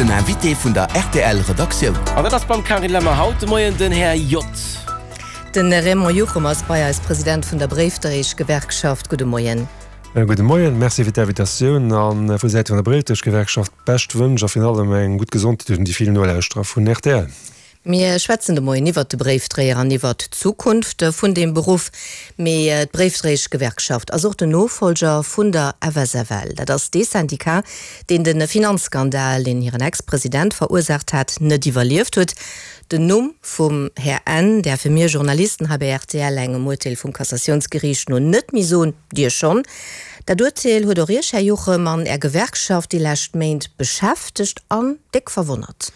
Den Invité vun der rtl Redaktioun. An dat ass beim Carine Lemmer haut de Moien den Här J. Den Raymond Juchem ass bei eis, President vun der Bréifdréieschgewerkschaft. Gudde Moien. Gudde Moien, Merci fir d'Invitatioun a vu Säite vun der Bréifdréieschgewerkschaft bescht Wënsch a virun allem eng gutt Gesondheet un déi vill Nolauschterer vun rtl. Mir schwätzen de Moien iwwert de Bréifdréier an iwwert d'Zukunft vun deem Beruff. Mee d'Bréifdréieschgewerkschaft ass och den Nofollger vun der FSFL. Dat ass dee Syndicat, deen de Finanzskandal, deen hiren Ex-President verursaacht hat, net iwwerlieft huet. Den Numm vum Här N. däerfe mir Journalisten hei bei rtl engem Urteel vum Cassatiounsgeriicht no net méi soen, Dir schonn. Dat Urteel huet och Iech, Här Juchem, an Är Gewerkschaft déi lescht Méint beschäftegt an déck verwonnert.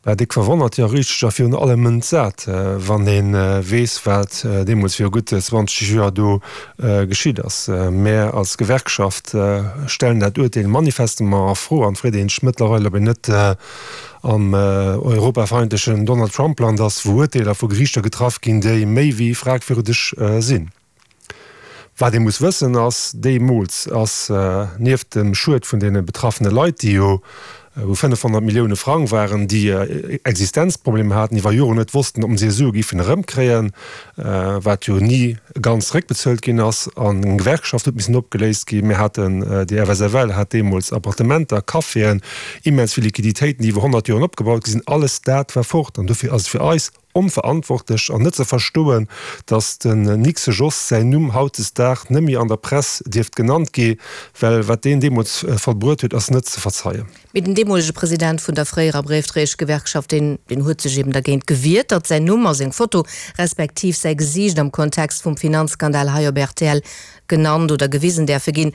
War déck verwonnert, jo richteg, a virun allem entsat, wann ee weess, wat deemools viru gutt 20 Joer do geschitt ass. Mär als Gewerkschaft stellen dat Urteel manifestement a Fro an freet een sech mëttlerweil, ob een net am europafeindlechen Donald-Trump-Land ass, wou Urteeler vu Geriichter getraff ginn, déi méi wéi fragwürdeg sinn. Wat ee muss wëssen ass, deemools ass nieft dem Schued vun deene betraffene Leit, déi jo u 500 Millioune Frang waren, déi Existenzproblemer haten, iwwer Joren net wossten, ob se hir Sue géifen erëmkréien, wat jo ni ganz zeréckbezuelt ginn ass, an eng Gewerkschaft huet missen opgeléist ginn. Mir haten, déi FSFL hat deemools Appartementer, Caféen, immens vill Liquiditéiten, déi iwwer 100 Joren opgebaut gi sinn. Alles dat war fort. An dofir ass et fir eis Onverantwortlech an net ze verstoen, datt den Nixe Jos säin Numm hautdesdag nëmmi an der Press dierft genannt gi, well wat deen deemools vollbruet huet, ass net ze verzeien. Mee den deemolege President vun der fréierer Bréifdréieschgewerkschaft, deen deen huet sech eben dergéint gewiert, datt säin Numm a seng Foto, respektiv säi Gesiicht am Kontext vum Finanzskandal hei op rtl genannt oder gewisen däerfe ginn.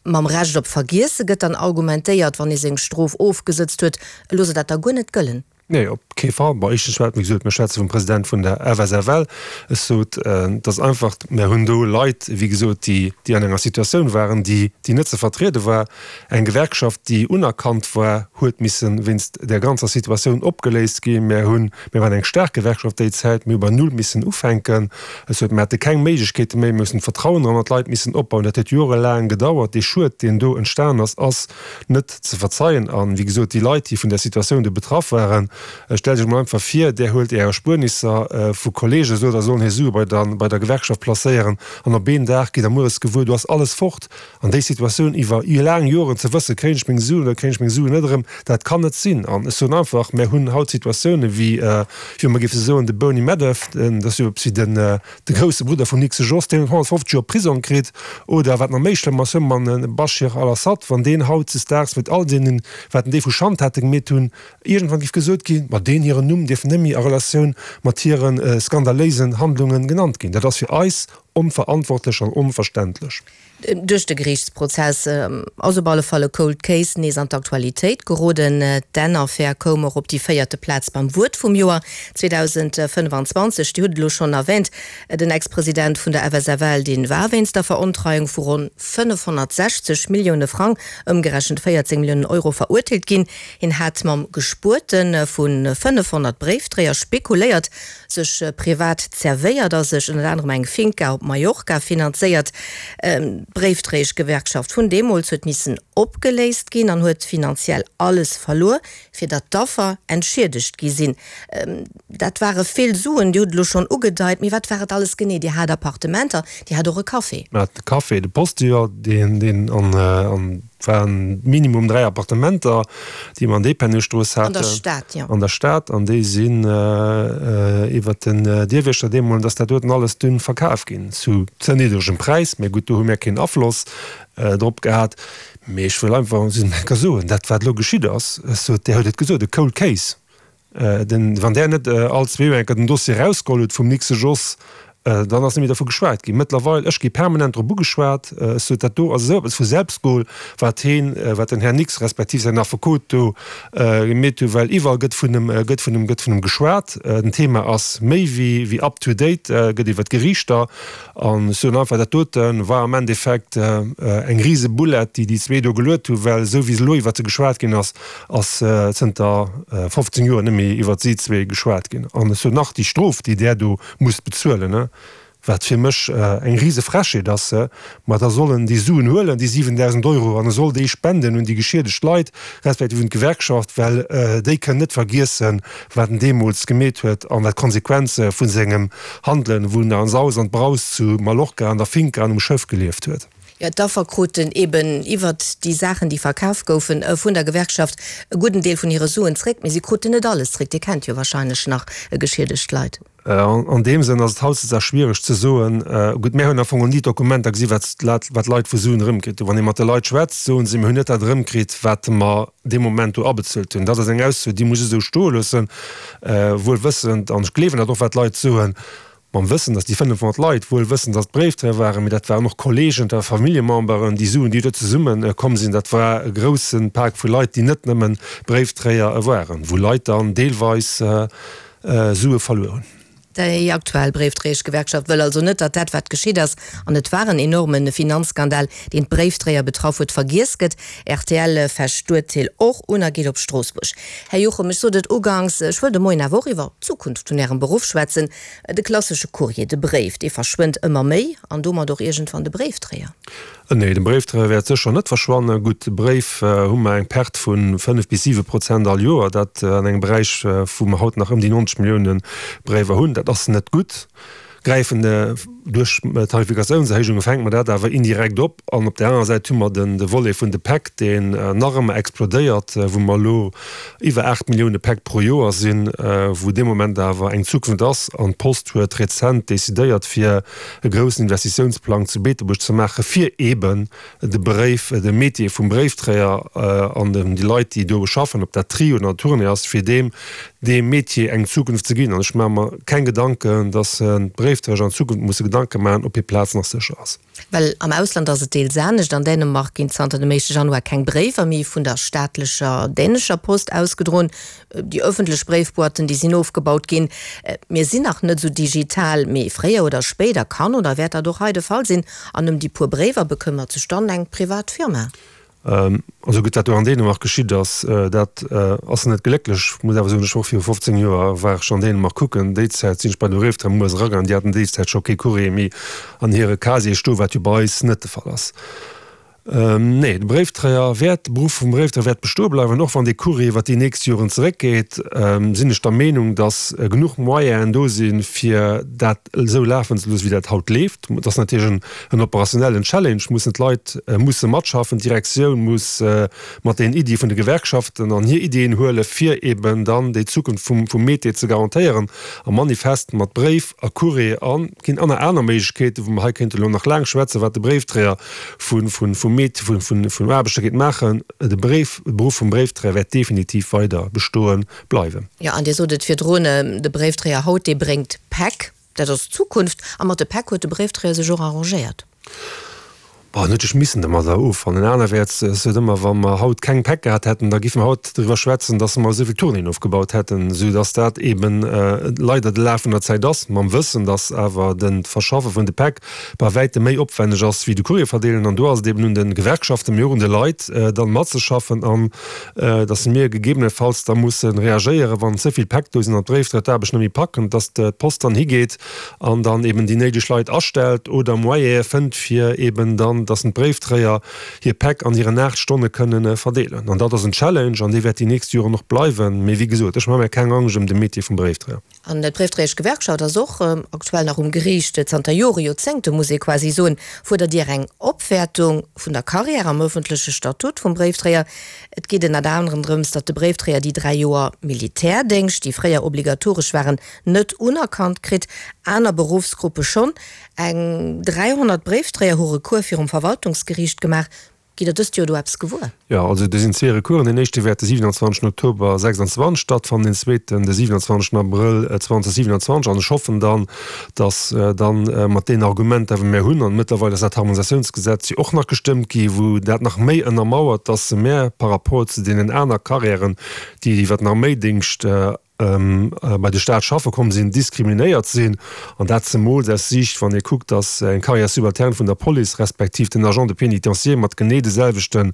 Mam Recht op Vergiesse gëtt dann argumentéiert, wann ee seng Strof ofgesëtzt huet, elo soll dat da guer net gëllen. Nee, op kee Fall. Bon, éischtens schwätze, wéi gesot, mir schwätze vum President vun der FSFL. Ech sot, et ass einfach, mir hunn do Leit, wéi gesot, déi, déi an enger Situatioun waren, déi, déi net ze vertriede war. Eng Gewerkschaft, déi unerkannt war, huet misse wéinst där ganzer Situatioun opgeléist ginn. Mir hunn, mir waren eng staark Gewerkschaft déi Zäit, mir hu bei Null missen ufänken. Ech sot, mir hate keng Méiglechkeete méi, mir mussen d'Vertrauen erëm an d'Leit missen opbauen. Dat huet jorelaang gedauert. Dee Schued, deen do entstan ass, ass net ze verzeien. An, wéi gesot, déi Leit, déi vun där Situatioun do betraff waren, stellt Iech emol einfach vir, Där huelt Är Erspuernisser vu Kolleegen, sot, der sollen hir Sue bei der, bei der Gewerkschaft placéieren, an op een Dag gitt Der mueres gewuer, do ass alles fort. An déi Situatioun iwwer laang Joren ze wëssen, kréien ech meng Suen oder kréien ech meng Suen net erëm, dat kann net sinn. An ech soen einfach, mär hunn haut Situatiounen, wéi, wéi mer géife soen, de Bernie Madoff, dat ass jo eppes wéi den, De grousse Brudder vum Nixe Jos, deen huet 150 Joer Prisong kritt. Oder wat nach méi schlëmm ass, huet man de Bashir al-Assad, wann deen hautzesdaags mat all deenen, wat en déi vu Schandtaten gemeet hunn, iergendwann giff gesot ginn, ma deen hiren Numm dierf nëmmi a Relatioun mat hire skandaléisen Handlungen genannt ginn. Dat ass fir eis onverantwortlech an onverständlech. Duerch de Geriichtsprozess ass op alle Fall e Cold Case nees an d'Aktualitéit geroden. D'N-Affär koum och op déi véierte Plaz beim Wuert vum Joer 2025. Dir hutt et elo schonn erwähnt, den Ex-President vun der FSFL, dee war wéinst der Verontreiung vu ronn 560 Millioune Frang, ëmgerechent 14 Milliounen Euro, verurteelt ginn. Hien hat mam Gespuerte vu 500 Bréifdréier spekuléiert. sech privat zerwéiert a sech ënnert anerem eng Finca op Mallorca finanzéiert. D'Bréifdréieschgewerkschaft vun deemools huet missen opgeléist ginn an huet finanziell alles verluer, fir datt d'Affer entschiedegt gi sinn. Dat ware vill Suen, Dir hutt et elo schonn ugedeit, mee wat war et alles genee? Dir hat Appartementer, Dir hat och e Café. Mir haten de Café, de Postillon, deen an Et waren minimum 3 Appartementer, déi mer an Dépennestrooss haten. An der Stad, jo. An der Stad. An déi sinn iwwert den Dierwiechter deemol, dass dat doten alles dunn verkaf ginn zu ze niddregem Präis. Mä gutt, do hu mir keen Afloss drop gehat. Mee ech wëll einfach eng Kéier soen, dat wat elo geschitt ass, ech sot, Dir hutt et gesot, e cold case. Den, wann där net all zwee Joer eng Kéier den Dossier erausgeholl huet vum Nixe Jos, dann ass net méi dervu geschwat ginn. Mëttlerweil, ech gi permanent drop ugeschwat, ech sot, dat do ass esou eppes vu Selbstgol, wat heen, wat den Här Nix respektiv säin Affekot do gemeet hu, well iwwerall gëtt vun em, gëtt vun em, gëtt vun em geschwat. Den Thema ass méi wéi, wéi up to date, gëtt iwwer d'Geriichter. An ech soen einfach, dat dote war am Endeffekt eng rise Boulette, déi déi zwee do geluet hu, well esou wéi elo iwwert se geschwat ginn ass, ass zënter 15 Joer net méi iwwert si zwee geschwat ginn. An ech soen nach, déi Strof, déi där do musst bezuelen, ne? Wat fir mech eng rise Frechheet ass, ma da soll en déi Suen huelen, déi 7.000 Euro, an e soll déi spenden un déi geschiedegt Leit, respektiv un d'Gewerkschaft, well déi kënnen net vergiessen, wat en deemools gemeet huet an wat d'Konsequenze vu sengem Handelen, wou en an Saus an Braus zu Mallorca an der Finca an um Schëff gelieft huet. Jo, d'Affer kruten eben iwwert déi Saachen, déi verkaf goufen, vun der Gewerkschaft e gudden Deel vun hire Suen zréck, mee si kruten net alles zréck. Dir kennt jo wahrscheinlech nach geschiedegt Leit. An deem Sënn ass et hautdesdaags schwiereg ze soen, gutt, mär hunn am Fong ni d'Dokumenter gesi wat d'Leit vu Suen erëmkritt hunn. Wann ee mat de Leit schwätzt, soen si, mir hunn net dat erëmkritt, wat mer dee Moment do abezuelt hunn. Dat ass eng Ausso, déi muss ech esou stoe loossen, wuel wëssend, an ech gleewen dat och, wat d'Leit soen, mam Wëssen, datt déi 500 Leit wuel wëssend, datt et Bréifdréier waren, mee dat waren och Kolleegen, dat ware Familljememberen, déi Suen, déi do zesumme komm sinn, dat war e grousse Pak vu Leit, déi net nëmme Bréifdréier waren, wou Leit dann deelweis Sue verluer hunn. Déi aktuell Bréifdréieschgewerkschaft wëll also net, datt dat wat geschitt ass, an et war en enorme Finanzskandal, deen d'Bréifdréier betraff huet, vergiess gëtt. Rtl fecht d'Urteel och un a geet op Stroossbuerg. Här Juchem, ech sot et uganks, ech wëll de Moien awer och iwwer d'Zukunft vun Ärem Beruff schwätzen. De klassesche Courrier, de Bréif, dee verschwënnt ëmmer méi an domat och iergendwann de Bréifdréier. Nee, de Bréifdréier wäert sécher net verschwannen. Gutt, de Bréif hu mer eng Perte vu 5 bis 7 Prozent all Joer, dat an engem Beräich, wou mer haut nach ëm déi 90 Millioune Bréiwer hunn. Dat ass net gutt. Gräifen duerch Tarifikatiounserhéijunge fänke mer dat awer indirekt op. An op där anerer Säit hu mer de Volet vun de Päck, deen nach ëmmer explodéiert, wou mer elo iwwer 8 Millioune Päck pro Joer sinn, wou dee Moment awer eng Zukunft ass. An d'Post huet rezent decidéiert, fir e groussen Investitiounsplang zu Beetebuerg ze maachen, fir eeben de Bréif, de Métier vum Bréifträger an déi Leit, déi do schaffen, ob dat Tri oder Tournée ass, fir deem deem Métier eng Zukunft ze ginn. An ech maache mer keng Gedanken, dass d'Bréifträger an Zukunft musse Gedanke maachen, ob hir Plaz nach sécher ass. Well am Ausland ass et deels anescht. An Dänemark ginn zanter dem éischte Januar keng Bréiwer méi vun der staatlecher dänescher Post ausgedroen. Déi ëffentlech Bréifboîten, déi sinn ofgebaut ginn. Mir sinn nach net esou digital, mee fréier oder spéider kann oder wäert dat och hei de Fall sinn. An ëm déi puer Bréiwer bekëmmert sech dann eng privat Firma. Also gutt, wat do an Dänemark geschitt ass, dat ass net glécklech. Ech muss awer soen, ech war och viru 15 Joer war ech an Dänemark kucken. Déi Zäit sinn ech bei de Bréifdréier muers eragaangen, déi haten déi Zäit scho kee Courrier méi an hire Casier stoen, wat jo bei eis net de Fall ass. Nee, de Bréifdréier wäert, de Beruff vum Bréifdréier wäert bestoe bleiwen. Och wann dee Courrier iwwer déi nächst Joren zeréckgeet, sinn ech der Meenung, datt genuch Moyenen do sinn, fir dat esou lafen ze loossen, wéi dat haut leeft. Et ass natierlech en operationnellen Challenge, mussen d'Leit musse matschaffen, d'Direktioun muss mat den Iddie vun de Gewerkschaften an hir Iddien huelen, fir eben dann déi Zukunft vum Métier ze garantéieren. A manifest mat Bréif a Courrier a ginn aner aner Méiglechkeeten, wou mer hei kéinte elo nach laang schwätzen, wat de Bréifdréier vun vum Meet vun vum Aarbechter geet maachen. De Bréif, de Beruff vum Bréifdréier wäert definitiv weider bestoe bleiwen. Jo, an Dir sot et virdrun, de Bréifdréier haut, dee bréngt Päck. Dat ass d'Zukunft. A mat de Päck huet de Bréifdréier sech och arrangéiert. Bon, en huet sech missen domadder offannen. Anerwäerts, ech sot ëmmer, wa mer haut keng Päck gehat hätten, da géife mer haut driwwer schwätzen, dass mer esou vill Tournéeën ofgebaut hätten, soudass dat eeben leider de Laf vun der Zäit ass, mam Wëssen, dass awer de Verschaffe vun de Päck bei wäitem méi opwänneg ass wéi de Courrier verdeelen. An do ass et eben un de Gewerkschaften, mee och un de Leit, dann matzeschaffen an dass mir gegebenenfalls da musse reagéieren, wann ze vill Päck do sinn an d'Bréifdréier d'Aarbecht net méi packen, dass d'Post dann higeet an dann eben déi néideg Leit astellt oder Moyene fënnt, fir eben dann, dass d'Bréifdréier hir Päck an hiren 8 Stonne kënnen verdeelen. An dat ass en Challenge an dee wäert déi nächst Joren och bleiwen. Mee wéi gesot, ech maache mir keng Angscht ëm de Métier vum Bréifdréier. An d'Bréifdréieschgewerkschaft ass och aktuell nach um Geriicht. Zanter Jore, Joerzéngte muss ee quasi soen, fuerdert Dir eng Opwäertung vun der Carrière am ëffentleche Statut vum Bréifdréier. Et geet ënnert anerem drëms, datt de Bréifdréier déi 3 Joer Militärdéngscht, déi fréier obligatoresch waren, net unerkannt kritt. Aner Beruffsgruppe schonn. Eng 300 Bréifdréier hu Recours virum Verwaltungsgeriicht gemaach. Gitt Der dëst Joer do eppes gewuer? Jo, also do sinn zwee Recoursen. Deen éischte wäert de 27 Oktober 26 stattfannen, deen zweeten de 27 Abrëll 2027. An ech hoffen dann, datt dann mat deenen Argumenter, wou mär hunn, an mëttlerweil ass dat Harmonisatiounsgesetz jo och nach gestëmmt gi wou dat nach méi ënnermauert, datt mär par rapport zu deenen aner Carrièren, déi iwwer den Arméidéngscht bei de Staat schaffe komm sinn, diskriminéiert sinn, an dat zemools aus Siicht, wann ee kuckt, datt eng Carrière subalterne vun der Police respektiv den Agent de pénitencier mat genee de selwechte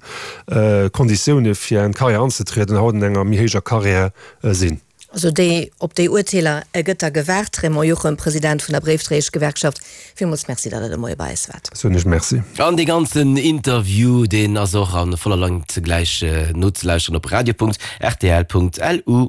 Konditioune fir eng Carrière anzetrieden haut an enger méi héijer Carrière sinn. Also déi, op déi Urteeler gëtt da gewaart. Raymond Juchem, President vun der Bréifdréieschgewerkschaft, villmools Merci, datt Der de Moie bei eis waart. Soen ech Merci. An dee ganzen Interview, deen ass och a voller Längt gläich nozelauschteren op radio.rtl.lu.